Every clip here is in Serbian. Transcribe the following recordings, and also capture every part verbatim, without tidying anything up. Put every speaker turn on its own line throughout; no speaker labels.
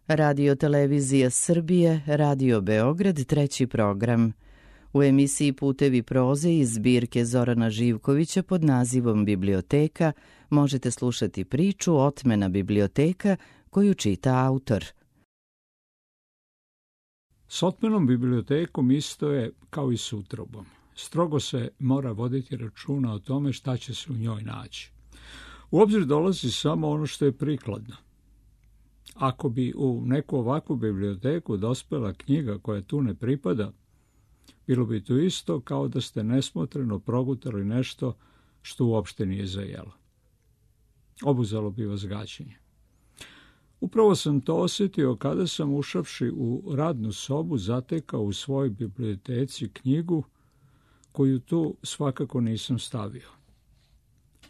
Radio Televizija Srbije, Radio Beograd, treći program. U emisiji Putevi proze iz zbirke Zorana Živkovića pod nazivom Biblioteka možete slušati priču Otmena biblioteka koju čita autor.
S otmenom bibliotekom isto je kao i s utrobom. Strogo se mora voditi računa o tome šta će se u njoj naći. U obzir dolazi samo ono što je prikladno. Ako bi u neku ovakvu biblioteku dospela knjiga koja tu ne pripada, bilo bi to isto kao da ste nesmotreno progutali nešto što uopšte nije za jelo. Obuzelo bi vas gađenje. Upravo sam to osjetio kada sam, ušavši u radnu sobu, zatekao u svojoj biblioteci knjigu koju tu svakako nisam stavio.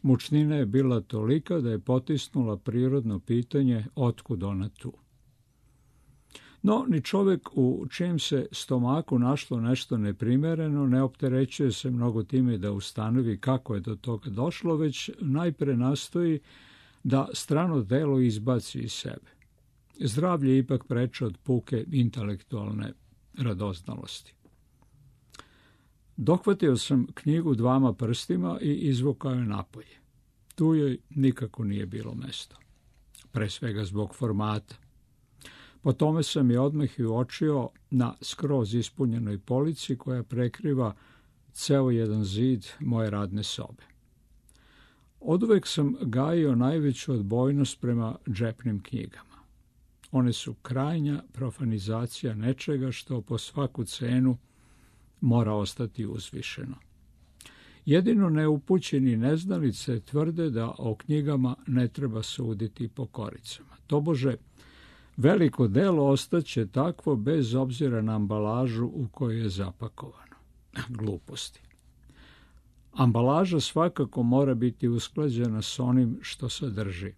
Mučnina je bila tolika da je potisnula prirodno pitanje otkud ona tu. No, ni čovjek u čijem se stomaku našlo nešto neprimereno ne opterećuje se mnogo time da ustanovi kako je do toga došlo, već najpre nastoji da strano telo izbaci iz sebe. Zdravlje je ipak preče od puke intelektualne radoznalosti. Dohvatio sam knjigu dvama prstima i izvukao je napolje. Tu joj nikako nije bilo mesto. Pre svega zbog formata. Po tome sam je odmah i uočio na skroz ispunjenoj polici koja prekriva ceo jedan zid moje radne sobe. Oduvek sam gajio najveću odbojnost prema džepnim knjigama. One su krajnja profanizacija nečega što po svaku cenu mora ostati uzvišeno. Jedino neupućeni neznalice tvrde da o knjigama ne treba suditi po koricama. Tobože, veliko delo ostaće takvo bez obzira na ambalažu u kojoj je zapakovano. Gluposti. Ambalaža svakako mora biti usklađena s onim što sadrži.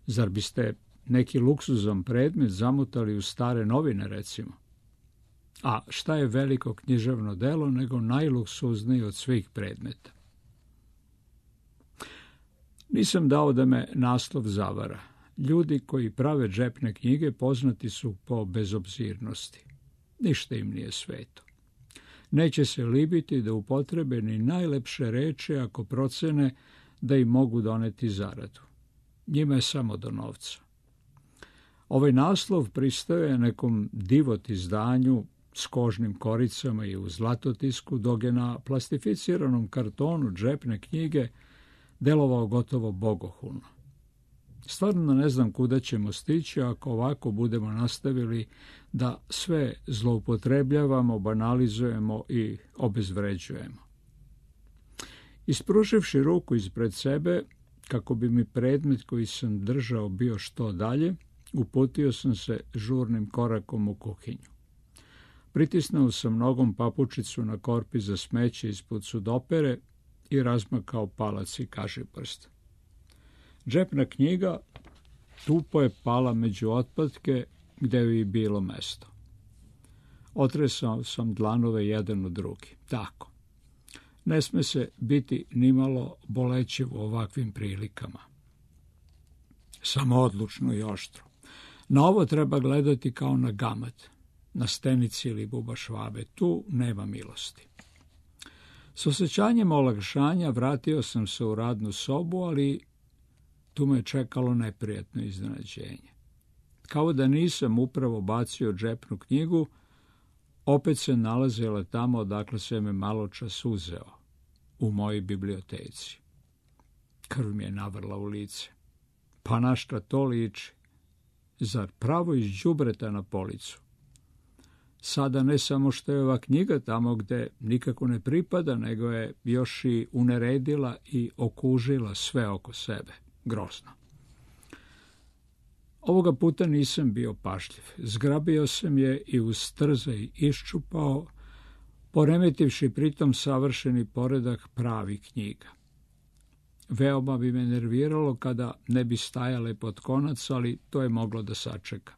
Zar biste neki luksuzan predmet zamutali u stare novine, recimo? A šta je veliko književno delo nego najluksuzniji od svih predmeta? Nisam dao da me naslov zavara. Ljudi koji prave džepne knjige poznati su po bezobzirnosti. Ništa im nije sveto. Neće se libiti da upotrebe ni najlepše reči ako procene da im mogu doneti zaradu. Njima je samo do novca. Ovaj naslov pristaje nekom divot izdanju s kožnim koricama i u zlatotisku, dok je na plastificiranom kartonu džepne knjige delovao gotovo bogohulno. Stvarno ne znam kuda ćemo stići ako ovako budemo nastavili da sve zloupotrebljavamo, banalizujemo i obezvređujemo. Ispruživši ruku ispred sebe, kako bi mi predmet koji sam držao bio što dalje, uputio sam se žurnim korakom u kuhinju. Pritisnuo sam nogom papučicu na korpi za smeće ispod sudopere i razmakao palac i kažiprst. Džepna knjiga tupo je pala među otpadke gde joj je bilo mesto. Otresao sam dlanove jedan u drugi. Tako. Ne sme se biti nimalo bolećiv u ovakvim prilikama. Samo odlučno i oštro. Na ovo treba gledati kao na gamat, na stenici ili bubašvabe. Tu nema milosti. S osjećanjem olakšanja vratio sam se u radnu sobu, ali tu me čekalo neprijatno iznenađenje. Kao da nisam upravo bacio džepnu knjigu, opet se nalazila tamo odakle se me malo čas uzeo, u mojoj biblioteci. Krv mi je navrla u lice. Pa na šta to liči? Zar pravo iz đubreta na policu? Sada ne samo što je ova knjiga tamo gde nikako ne pripada, nego je još i uneredila i okužila sve oko sebe. Grozno. Ovoga puta nisam bio pašljiv. Zgrabio sam je i uz trzaj iščupao, poremetivši pritom savršeni poredak pravih knjiga. Veoma bi me nerviralo kada ne bi stajale pod konac, ali to je moglo da sačeka.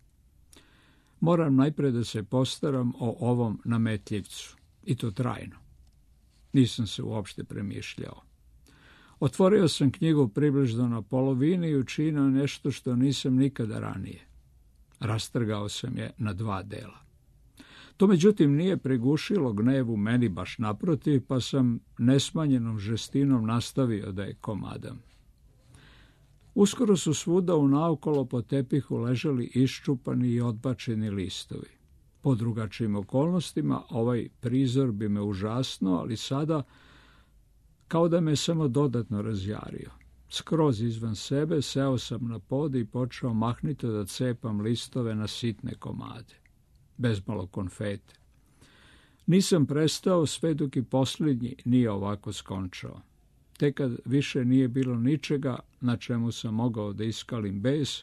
Moram najpre da se postaram o ovom nametljivcu, i to trajno. Nisam se uopšte premišljao. Otvorio sam knjigu približno na polovini i učinio nešto što nisam nikada ranije. Rastrgao sam je na dva dela. To međutim nije prigušilo gnev u meni, baš naprotiv, pa sam nesmanjenom žestinom nastavio da je komadam. Uskoro su svuda unaokolo po tepihu ležali iščupani i odbačeni listovi. Po drugačijim okolnostima ovaj prizor bi me užasno, ali sada kao da me samo dodatno razjario. Skroz izvan sebe seo sam na pod i počeo mahnito da cepam listove na sitne komade, bezmalo konfete. Nisam prestao sve dok i posljednji nije ovako skončao. Tek kad više nije bilo ničega na čemu sam mogao da iskalim bes,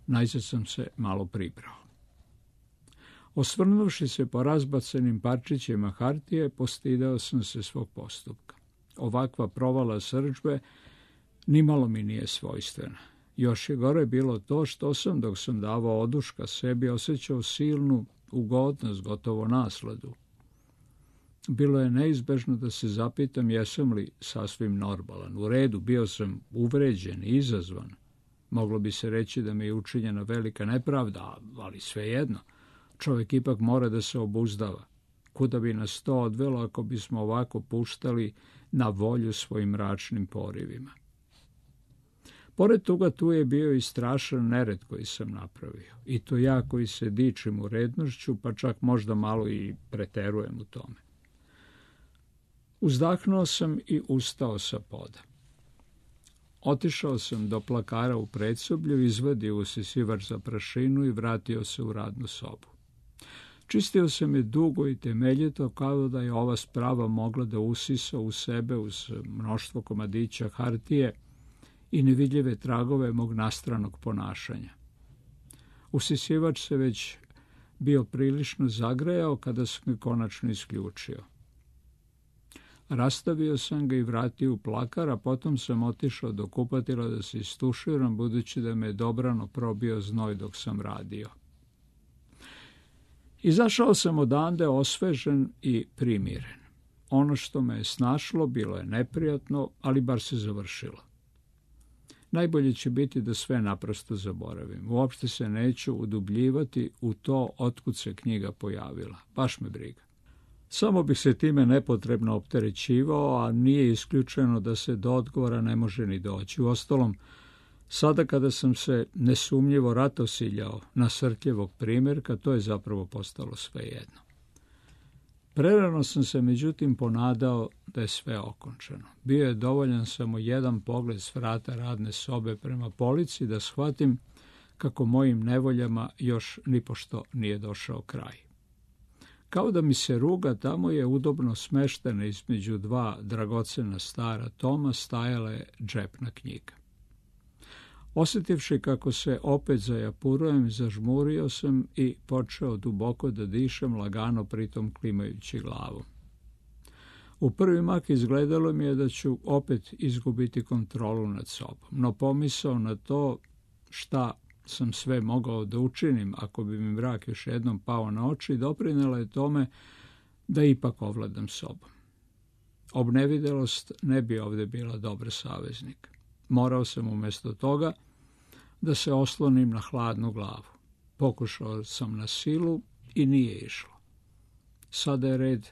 najzad sam se malo pribrao. Osvrnuvši se po razbacanim parčićima hartije, postidao sam se svog postupka. Ovakva provala srdžbe nimalo mi nije svojstvena. Još je gore bilo to što sam, dok sam davao oduška sebi, osjećao silnu ugodnost, gotovo nasladu. Bilo je neizbežno da se zapitam jesam li sasvim normalan. U redu, bio sam uvređen i izazvan. Moglo bi se reći da mi je učinjena velika nepravda, ali svejedno. Čovjek ipak mora da se obuzdava. Kuda bi nas to odvelo ako bismo ovako puštali na volju svojim mračnim porivima? Pored toga tu je bio i strašan nered koji sam napravio. I to ja koji se dičim urednošću, pa čak možda malo i preterujem u tome. Uzdahnuo sam i ustao sa poda. Otišao sam do plakara u predsoblju, izvadio usisivač za prašinu i vratio se u radnu sobu. Čistio sam je dugo i temeljito, kao da je ova sprava mogla da usisa u sebe uz mnoštvo komadića hartije i nevidljive tragove mog nastranog ponašanja. Usisivač se već bio prilično zagrejao kada sam ga konačno isključio. Rastavio sam ga i vratio u plakar, a potom sam otišao do kupatila da se istuširam, budući da me je dobrano probio znoj dok sam radio. Izašao sam odande osvežen i primiren. Ono što me je snašlo bilo je neprijatno, ali bar se završilo. Najbolje će biti da sve naprosto zaboravim. Uopšte se neću udubljivati u to otkud se knjiga pojavila. Baš me briga. Samo bih se time nepotrebno opterećivao, a nije isključeno da se do odgovora ne može ni doći. Uostalom, sada kada sam se nesumnjivo ratosiljao na Srtljevog primjerka, to je zapravo postalo svejedno. Prerano sam se međutim ponadao da je sve okončano. Bio je dovoljan samo jedan pogled s vrata radne sobe prema polici da shvatim kako mojim nevoljama još nipošto nije došao kraj. Kao da mi se ruga, tamo je udobno smeštena između dva dragocena stara toma stajala je džepna knjiga. Osjetivši kako se opet zajapurujem, zažmurio sam i počeo duboko da dišem, lagano pritom klimajući glavom. U prvi mak izgledalo mi je da ću opet izgubiti kontrolu nad sobom, no pomisao na to šta sam sve mogao da učinim ako bi mi mrak još jednom pao na oči, doprinela je tome da ipak ovladam sobom. Obnevidelost ne bi ovdje bila dobar saveznik. Morao sam umjesto toga da se oslonim na hladnu glavu. Pokušao sam na silu i nije išlo. Sada je red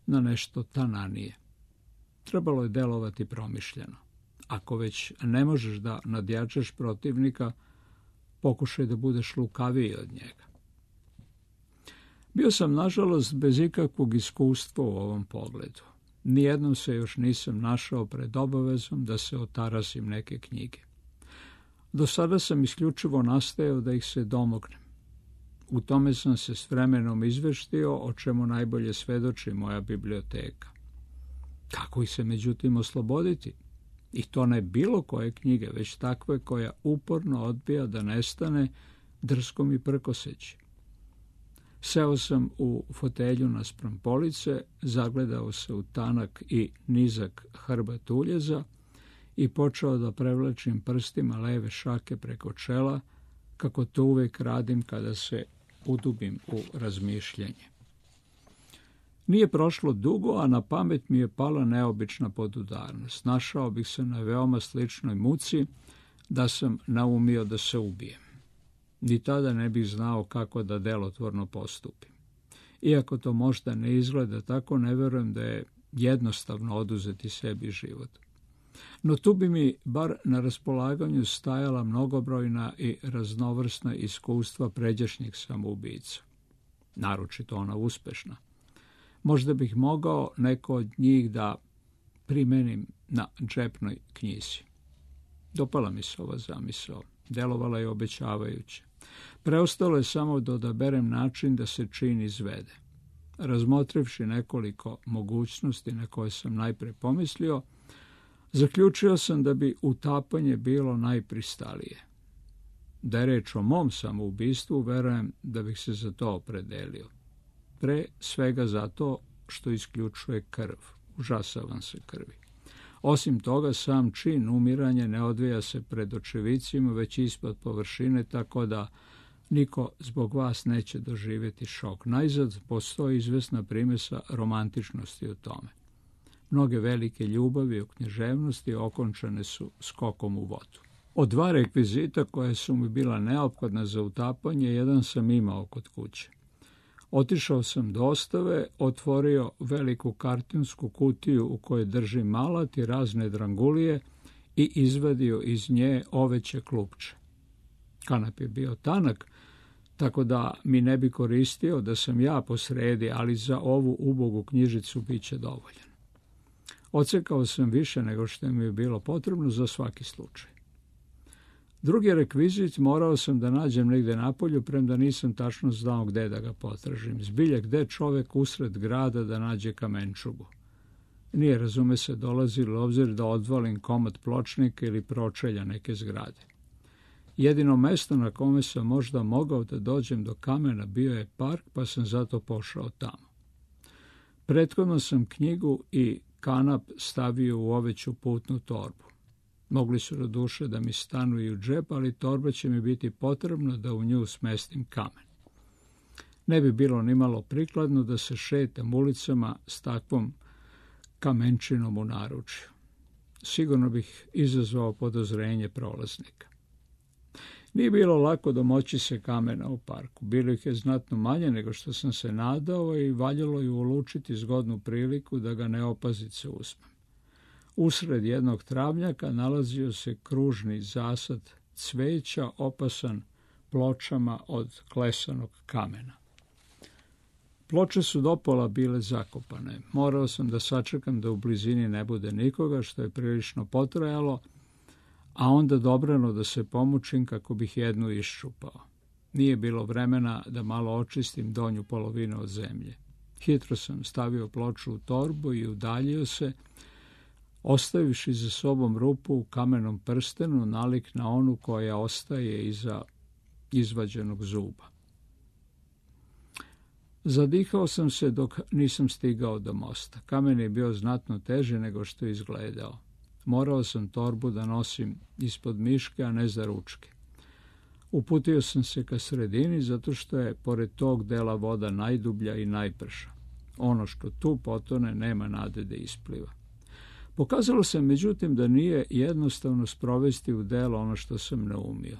na nešto tananije. Trebalo je delovati promišljeno. Ako već ne možeš da nadjačaš protivnika, pokušaj da budeš lukaviji od njega. Bio sam, nažalost, bez ikakvog iskustva u ovom pogledu. Nijednom se još nisam našao pred obavezom da se otarasim neke knjige. Do sada sam isključivo nastajao da ih se domognem. U tome sam se s vremenom izveštio, o čemu najbolje svedoči moja biblioteka. Kako ih se međutim osloboditi? I to ne bilo koje knjige, već takve koja uporno odbija da nestane drskom i prkoseći. Seo sam u fotelju naspram police, zagledao se u tanak i nizak hrbat uljeza i počeo da prevlačim prstima leve šake preko čela, kako to uvek radim kada se udubim u razmišljanje. Nije prošlo dugo, a na pamet mi je pala neobična podudarnost. Našao bih se na veoma sličnoj muci da sam naumio da se ubijem. Ni tada ne bih znao kako da delotvorno postupim. Iako to možda ne izgleda tako, ne verujem da je jednostavno oduzeti sebi život. No tu bi mi bar na raspolaganju stajala mnogobrojna i raznovrsna iskustva pređašnjih samoubica. Naročito ona uspešna. Možda bih mogao neko od njih da primenim na džepnoj knjizi. Dopala mi se ova zamisao. Delovala je obećavajuće. Preostalo je samo da odaberem način da se čin izvede. Razmotrivši nekoliko mogućnosti na koje sam najpre pomislio, zaključio sam da bi utapanje bilo najpristalije. Da je reč o mom samoubistvu, verujem da bih se za to opredelio. Pre svega zato što isključuje krv. Užasavam se krvi. Osim toga, sam čin umiranja ne odvija se pred očevicima, već ispod površine, tako da niko zbog vas neće doživjeti šok. Najzad postoji izvesna primesa romantičnosti u tome. Mnoge velike ljubavi u književnosti okončane su skokom u vodu. Od dva rekvizita koje su mi bila neophodna za utapanje, jedan sam imao kod kuće. Otišao sam do ostave, otvorio veliku kartonsku kutiju u kojoj držim alat i razne drangulije i izvadio iz nje oveće klupče. Kanap je bio tanak, tako da mi ne bi koristio da sam ja posredi, ali za ovu ubogu knjižicu bit će dovoljan. Odsekao sam više nego što mi je bilo potrebno za svaki slučaj. Drugi rekvizit morao sam da nađem negde napolju, premda nisam tačno znao gde da ga potražim. Zbilja gde čovek usred grada da nađe kamenčugu. Nije, razume se, dolazilo obzir da odvalim komad pločnika ili pročelja neke zgrade. Jedino mesto na kome sam možda mogao da dođem do kamena bio je park, pa sam zato pošao tamo. Prethodno sam knjigu i kanap stavio u oveću putnu torbu. Mogli su do duše da mi stanu i u džep, ali torba će mi biti potrebna da u nju smestim kamen. Ne bi bilo nimalo prikladno da se šetam ulicama s takvom kamenčinom u naručju. Sigurno bih izazvao podozrenje prolaznika. Nije bilo lako domoći se kamena u parku. Bilo ih je znatno manje nego što sam se nadao i valjalo je ulučiti zgodnu priliku da ga neopazice uzmem. Usred jednog travnjaka nalazio se kružni zasad cveća opasan pločama od klesanog kamena. Ploče su dopola bile zakopane. Morao sam da sačekam da u blizini ne bude nikoga, što je prilično potrajalo, a onda dobrano da se pomučim kako bih jednu iščupao. Nije bilo vremena da malo očistim donju polovinu od zemlje. Hitro sam stavio ploču u torbu i udaljio se, ostavivši za sobom rupu u kamenom prstenu nalik na onu koja ostaje iza izvađenog zuba. Zadihao sam se dok nisam stigao do mosta. Kamen je bio znatno teži nego što je izgledao. Morao sam torbu da nosim ispod miške, a ne za ručke. Uputio sam se ka sredini zato što je pored tog dela voda najdublja i najprša. Ono što tu potone nema nade da ispliva. Pokazalo se međutim da nije jednostavno sprovesti u delo ono što sam naumio.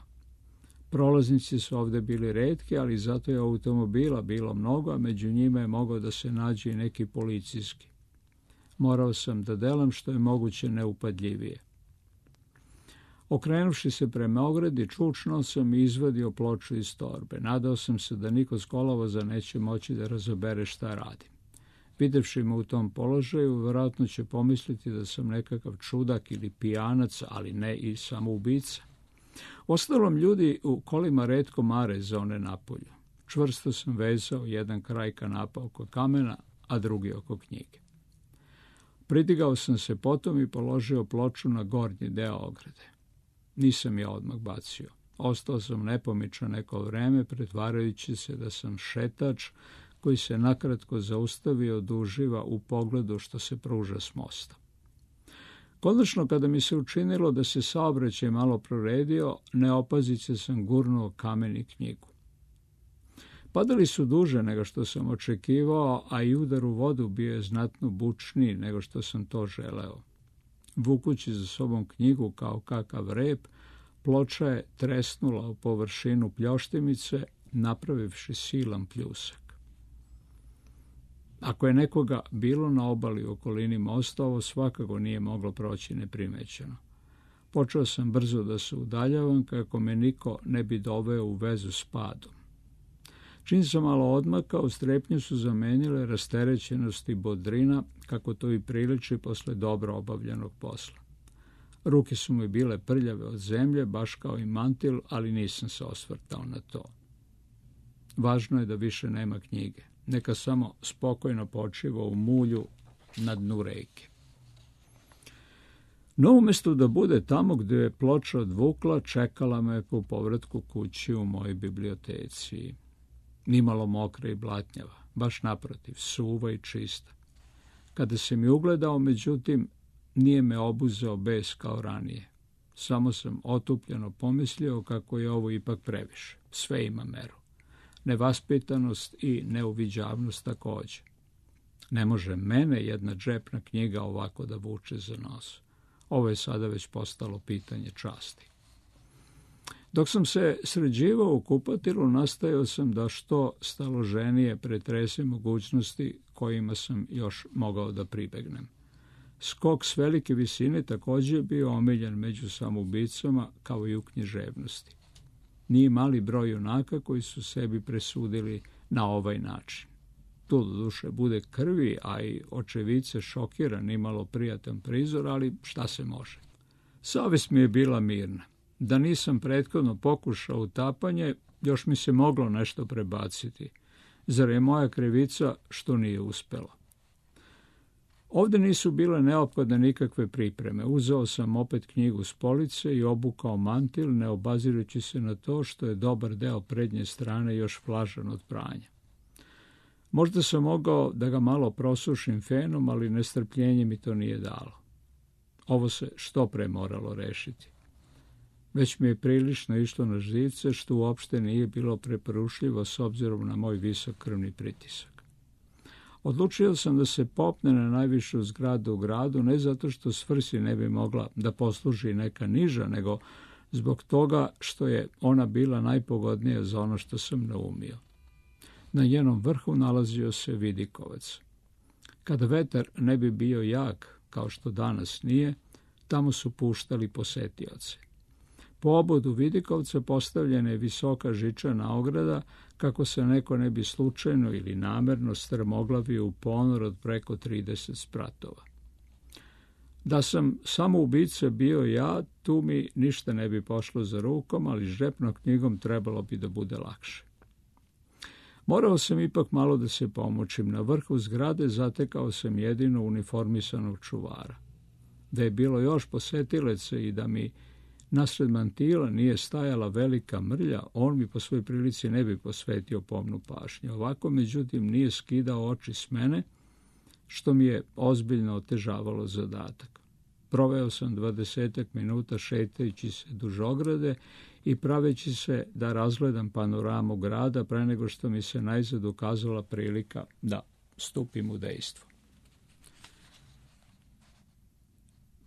Prolaznici su ovde bili retki, ali zato je automobila bilo mnogo, a među njima je mogao da se nađe i neki policijski. Morao sam da delam što je moguće neupadljivije. Okrenuvši se prema ogradi, čučno sam i izvadio ploču iz torbe. Nadao sam se da niko s kolovoza neće moći da razabere šta radim. Videvši me u tom položaju, vjerojatno će pomisliti da sam nekakav čudak ili pijanac, ali ne i samoubica. Ostalom, ljudi u kolima retko mare za one napolju. Čvrsto sam vezao jedan kraj kanapa oko kamena, a drugi oko knjige. Pridigao sam se potom i položio ploču na gornji deo ograde. Nisam je odmah bacio. Ostao sam nepomičan neko vreme, pretvarajući se da sam šetač koji se nakratko zaustavio da uživa u pogledu što se pruža s mosta. Konačno, kada mi se učinilo da se saobraćaj malo proredio, neopazice sam gurnuo kamen i knjigu. Padali su duže nego što sam očekivao, a i udar u vodu bio je znatno bučniji nego što sam to želeo. Vukući za sobom knjigu kao kakav rep, ploča je tresnula u površinu pljoštimice, napravivši silan pljusak. Ako je nekoga bilo na obali u okolini mosta, ovo svakako nije moglo proći neprimećeno. Počeo sam brzo da se udaljavam kako me niko ne bi doveo u vezu s padom. Čim sam malo odmakao, strepnju su zamenile rasterećenost i bodrina, kako to i priliči posle dobro obavljenog posla. Ruke su mi bile prljave od zemlje, baš kao i mantil, ali nisam se osvrtao na to. Važno je da više nema knjige. Neka samo spokojno počiva u mulju na dnu reke. No, umjesto da bude tamo gdje je ploča odvukla, čekala me po povratku kući u mojoj biblioteci. Nimalo mokra i blatnjava, baš naprotiv, suva i čista. Kada se mi ugledao, međutim, nije me obuzeo bes kao ranije. Samo sam otupljeno pomislio kako je ovo ipak previše. Sve ima meru. Nevaspitanost i neuviđavnost također. Ne može mene jedna džepna knjiga ovako da vuče za nos. Ovo je sada već postalo pitanje časti. Dok sam se sređivao u kupatilu, nastojao sam da što staloženije pretresem mogućnosti kojima sam još mogao da pribegnem. Skok s velike visine također je bio omiljen među samoubicama kao i u književnosti. Nije mali broj junaka koji su sebi presudili na ovaj način. Tu do duše bude krvi, a i očevice šokira, nimalo prijatan prizor, ali šta se može. Savest mi je bila mirna. Da nisam prethodno pokušao utapanje, još mi se moglo nešto prebaciti. Zar je moja krivica što nije uspelo? Ovdje nisu bile neophodne nikakve pripreme. Uzeo sam opet knjigu s police i obukao mantil, ne obazirući se na to što je dobar deo prednje strane još vlažan od pranja. Možda sam mogao da ga malo prosušim fenom, ali nestrpljenje mi to nije dalo. Ovo se što pre moralo rešiti. Već mi je prilično išlo na živce, što uopšte nije bilo preporučljivo s obzirom na moj visok krvni pritisak. Odlučio sam da se popne na najvišu zgradu u gradu, ne zato što svrsi ne bi mogla da posluži neka niža, nego zbog toga što je ona bila najpogodnija za ono što sam naumio. Na njenom vrhu nalazio se vidikovac. Kada vetar ne bi bio jak, kao što danas nije, tamo su puštali posetioce. Po obodu vidikovca postavljena je visoka žičana ograda, kako se neko ne bi slučajno ili namerno strmoglavio u ponor od preko trideset spratova. Da sam samo ubica bio ja, tu mi ništa ne bi pošlo za rukom, ali žepnom knjigom trebalo bi da bude lakše. Morao sam ipak malo da se pomoćim. Na vrhu zgrade zatekao sam jedino uniformisanog čuvara. Da je bilo još posetilaca i da mi nasred mantila nije stajala velika mrlja, on mi po svoj prilici ne bi posvetio pomnu pažnju. Ovako, međutim, nije skidao oči s mene, što mi je ozbiljno otežavalo zadatak. Proveo sam dvadesetak minuta šetajući se duž ograde i praveći se da razgledam panoramu grada pre nego što mi se najzad ukazala prilika da stupim u dejstvo.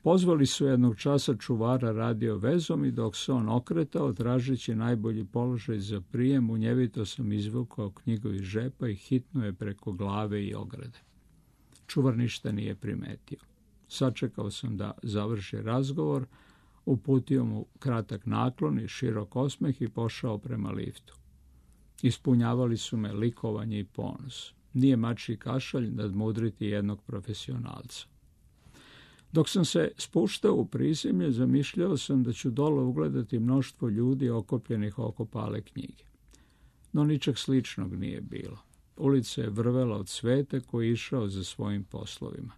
Pozvali su jednog časa čuvara radio vezom i dok se on okretao, tražeći najbolji položaj za prijem, munjevito sam izvukao knjigu iz žepa i hitno je preko glave i ograde. Čuvar ništa nije primetio. Sačekao sam da završi razgovor, uputio mu kratak naklon i širok osmeh i pošao prema liftu. Ispunjavali su me likovanje i ponos. Nije mačji kašalj nadmudriti jednog profesionalca. Dok sam se spuštao u prizemlje, zamišljao sam da ću dole ugledati mnoštvo ljudi okopljenih oko pale knjige. No ničeg sličnog nije bilo. Ulica je vrvela od sveta koji je išao za svojim poslovima.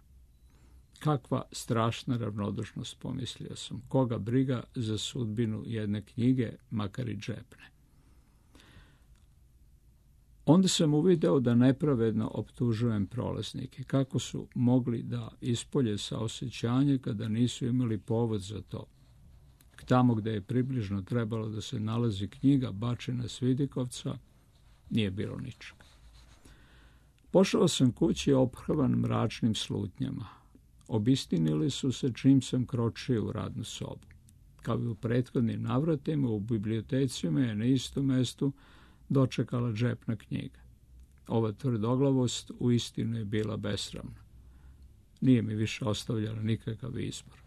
Kakva strašna ravnodušnost, pomislio sam. Koga briga za sudbinu jedne knjige, makar i džepne. Onda sam uvideo da nepravedno optužujem prolaznike. Kako su mogli da ispolje saosećanje kada nisu imali povod za to? Tamo gde je približno trebalo da se nalazi knjiga bačena s vidikovca, nije bilo ničega. Pošao sam kući ophrvan mračnim slutnjama. Obistinili su se čim sam kročio u radnu sobu. Kao i u prethodnim navratima, u biblioteci me je na istom mestu dočekala džepna knjiga. Ova tvrdoglavost uistinu je bila besramna. Nije mi više ostavljala nikakav izbor.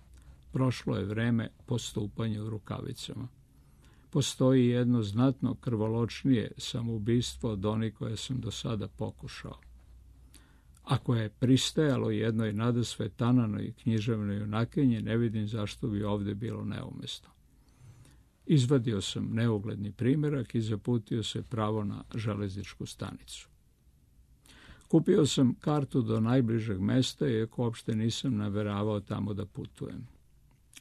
Prošlo je vreme postupanja u rukavicama. Postoji jedno znatno krvoločnije samoubistvo od onih koje sam do sada pokušao. Ako je pristajalo jednoj nadasve tananoj književnoj junakinji, ne vidim zašto bi ovdje bilo neumesno. Izvadio sam neugledni primjerak i zaputio se pravo na železničku stanicu. Kupio sam kartu do najbližeg mesta, iako uopšte nisam nameravao tamo da putujem.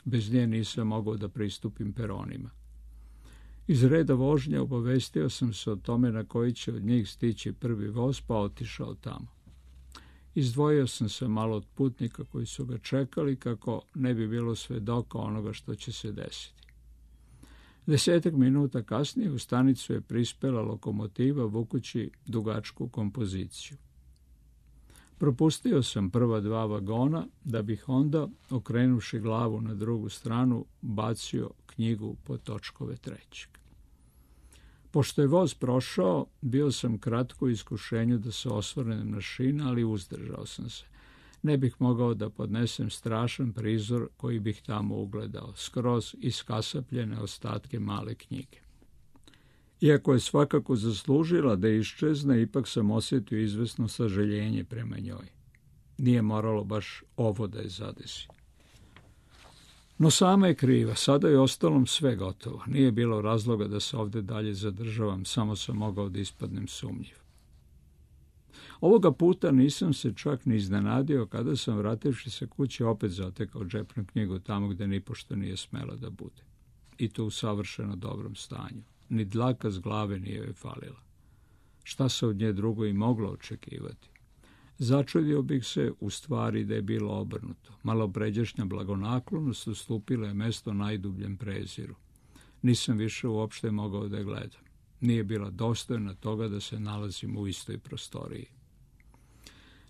Bez nje nisam mogao da pristupim peronima. Iz reda vožnja obavestio sam se o tome na koji će od njih stići prvi voz, pa otišao tamo. Izdvojio sam se malo od putnika koji su ga čekali, kako ne bi bilo svedoka onoga što će se desiti. Desetak minuta kasnije u stanicu je prispela lokomotiva vukući dugačku kompoziciju. Propustio sam prva dva vagona, da bih onda, okrenuvši glavu na drugu stranu, bacio knjigu pod točkove trećeg. Pošto je voz prošao, bio sam kratko u iskušenju da se osvrnem na šine, ali uzdržao sam se. Ne bih mogao da podnesem strašan prizor koji bih tamo ugledao, skroz iskasapljene ostatke male knjige. Iako je svakako zaslužila da iščezne, ipak sam osjetio izvesno sažaljenje prema njoj. Nije moralo baš ovo da je zadesi. No sama je kriva, sada je ostalom sve gotovo. Nije bilo razloga da se ovdje dalje zadržavam, samo sam mogao da ispadnem sumnjiv. Ovoga puta nisam se čak ni iznenadio kada sam, vrativši se kući, opet zatekao džepnu knjigu tamo gde nipošto nije smela da bude. I to u savršeno dobrom stanju. Ni dlaka s glave nije joj falila. Šta se od nje drugo i moglo očekivati? Začudio bih se u stvari da je bilo obrnuto. Malopređašnja blagonaklonost ustupila je mesto najdubljem preziru. Nisam više uopšte mogao da je gledam. Nije bila dostojna toga da se nalazim u istoj prostoriji.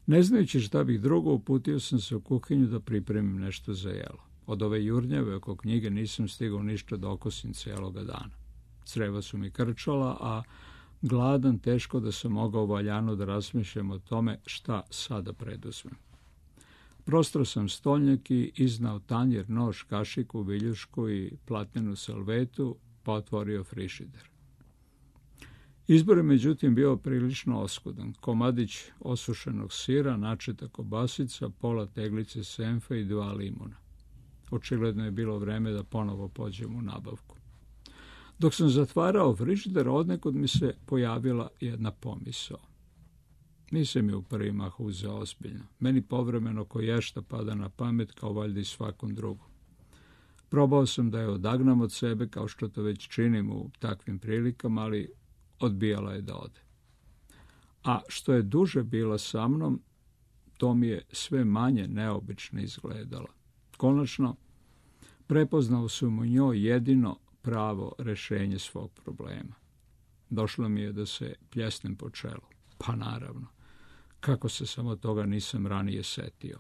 Ne znajući šta bih drugo, uputio sam se u kuhinju da pripremim nešto za jelo. Od ove jurnjave oko knjige nisam stigao ništa da okosim cijeloga dana. Creva su mi krčala, a gladan teško da sam mogao valjano da razmišljam o tome šta sada preduzmem. Prostro sam stolnjak i iznao tanjer, nož, kašiku, viljušku i platnenu salvetu, pa otvorio frižider. Izbor je međutim bio prilično oskudan. Komadić osušenog sira, načeta kobasica, pola teglice senfa i dva limuna. Očigledno je bilo vreme da ponovo pođem u nabavku. Dok sam zatvarao frižider, odnekud mi se pojavila jedna pomisao. Nisam je u prvi mah uzeo ozbiljno. Meni povremeno koješta pada na pamet, kao valjda i svakom drugom. Probao sam da je odagnam od sebe, kao što to već činim u takvim prilikama, ali odbijala je da ode. A što je duže bila sa mnom, to mi je sve manje neobično izgledala. Konačno, prepoznao sam u njoj jedino pravo rešenje svog problema. Došlo mi je da se pljesnem po čelu. Pa naravno, kako se samo toga nisam ranije setio.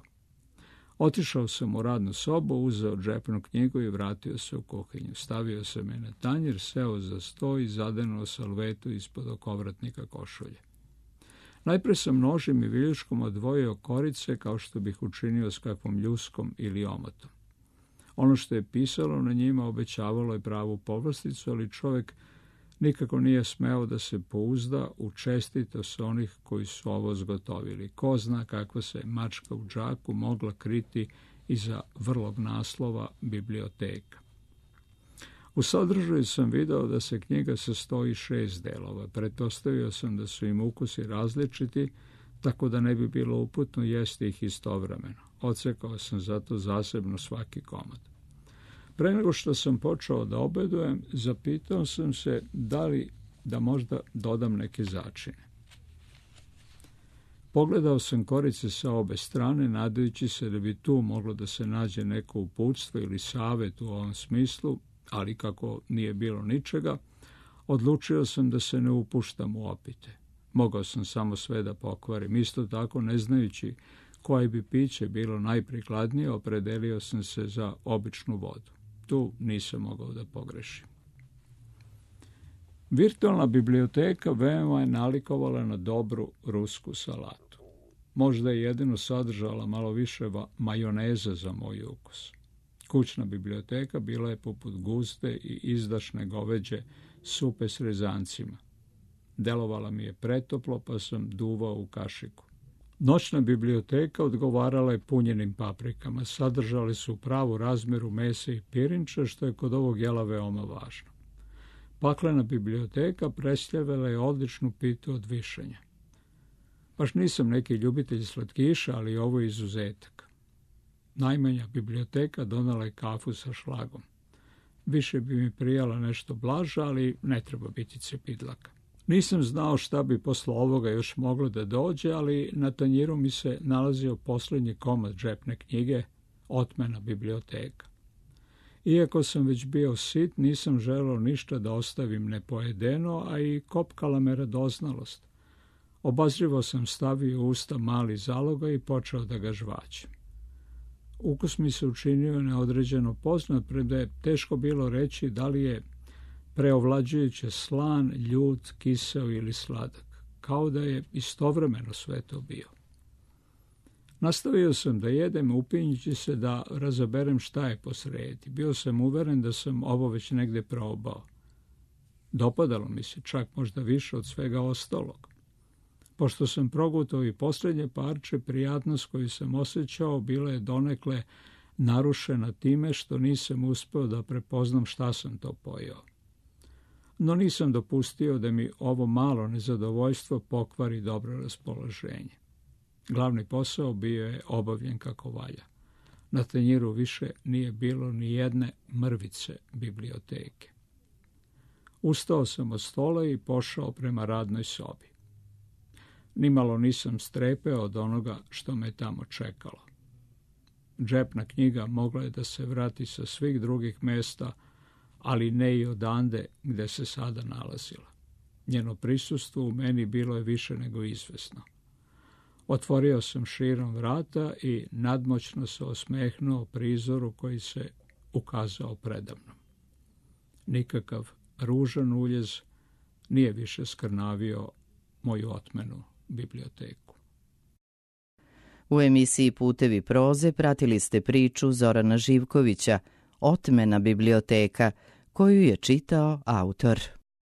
Otišao sam u radnu sobu, uzeo džepnu knjigu i vratio se u kuhinju. Stavio sam je na tanjir, seo za sto i zadenuo salvetu ispod okovratnika košulje. Najpre sam nožem i viljuškom odvojio korice, kao što bih učinio s kakvom ljuskom ili omotom. Ono što je pisalo na njima obećavalo je pravu povlasticu, ali čovjek nikako nije smeo da se pouzda u čestitost onih koji su ovo zgotovili. Ko zna kakva se mačka u džaku mogla kriti iza vrlog naslova biblioteka. U sadržaju sam video da se knjiga sastoji šest delova. Pretpostavio sam da su im ukusi različiti, tako da ne bi bilo uputno jesti ih istovremeno. Odsekao sam zato zasebno svaki komad. Pre nego što sam počeo da obedujem, zapitao sam se da li da možda dodam neke začine. Pogledao sam korice sa obe strane, nadajući se da bi tu moglo da se nađe neko uputstvo ili savet u ovom smislu, ali kako nije bilo ničega, odlučio sam da se ne upuštam u opite. Mogao sam samo sve da pokvarim. Isto tako, ne znajući koje bi piće bilo najprikladnije, opredelio sam se za običnu vodu. Tu nisam mogao da pogrešim. Virtualna biblioteka veoma je nalikovala na dobru rusku salatu. Možda je jedino sadržala malo više majoneze za moj ukus. Kućna biblioteka bila je poput guste i izdašne goveđe supe s rezancima. Delovala mi je pretoplo, pa sam duvao u kašiku. Noćna biblioteka odgovarala je punjenim paprikama. Sadržali su pravu razmeru mesa i pirinča, što je kod ovog jela veoma važno. Paklena biblioteka predstavljala je odličnu pitu od višanja. Baš nisam neki ljubitelj slatkiša, ali ovo je izuzetak. Najmanja biblioteka donala je kafu sa šlagom. Više bi mi prijala nešto blaža, ali ne treba biti cepidlaka. Nisam znao šta bi posle ovoga još moglo da dođe, ali na tanjiru mi se nalazio posljednji komad džepne knjige, Otmena biblioteka. Iako sam već bio sit, nisam želeo ništa da ostavim nepojedeno, a i kopkala me radoznalost. Obazrivo sam stavio u usta mali zaloga i počeo da ga žvaćem. Ukus mi se učinio neodređeno poznat, premda je teško bilo reći da li je preovlađujuće slan, ljut, kiseo ili sladak, kao da je istovremeno sve to bio. Nastavio sam da jedem, upinjući se da razaberem šta je posredi. Bio sam uveren da sam ovo već negde probao. Dopadalo mi se, čak možda više od svega ostalog. Pošto sam progutao i posljednje parče, prijatnost koju sam osjećao bila je donekle narušena time što nisam uspeo da prepoznam šta sam to pojeo. No nisam dopustio da mi ovo malo nezadovoljstvo pokvari dobro raspoloženje. Glavni posao bio je obavljen kako valja. Na tanjiru više nije bilo ni jedne mrvice biblioteke. Ustao sam od stola i pošao prema radnoj sobi. Nimalo nisam strepeo od onoga što me tamo čekalo. Džepna knjiga mogla je da se vrati sa svih drugih mesta, ali ne i odande gde se sada nalazila. Njeno prisustvo u meni bilo je više nego izvesno. Otvorio sam širom vrata i nadmoćno se osmehnuo prizoru koji se ukazao predamnom. Nikakav ružan uljez nije više skrnavio moju otmenu biblioteku.
U emisiji Putevi proze pratili ste priču Zorana Živkovića, Otmena biblioteka, koju je čitao autor.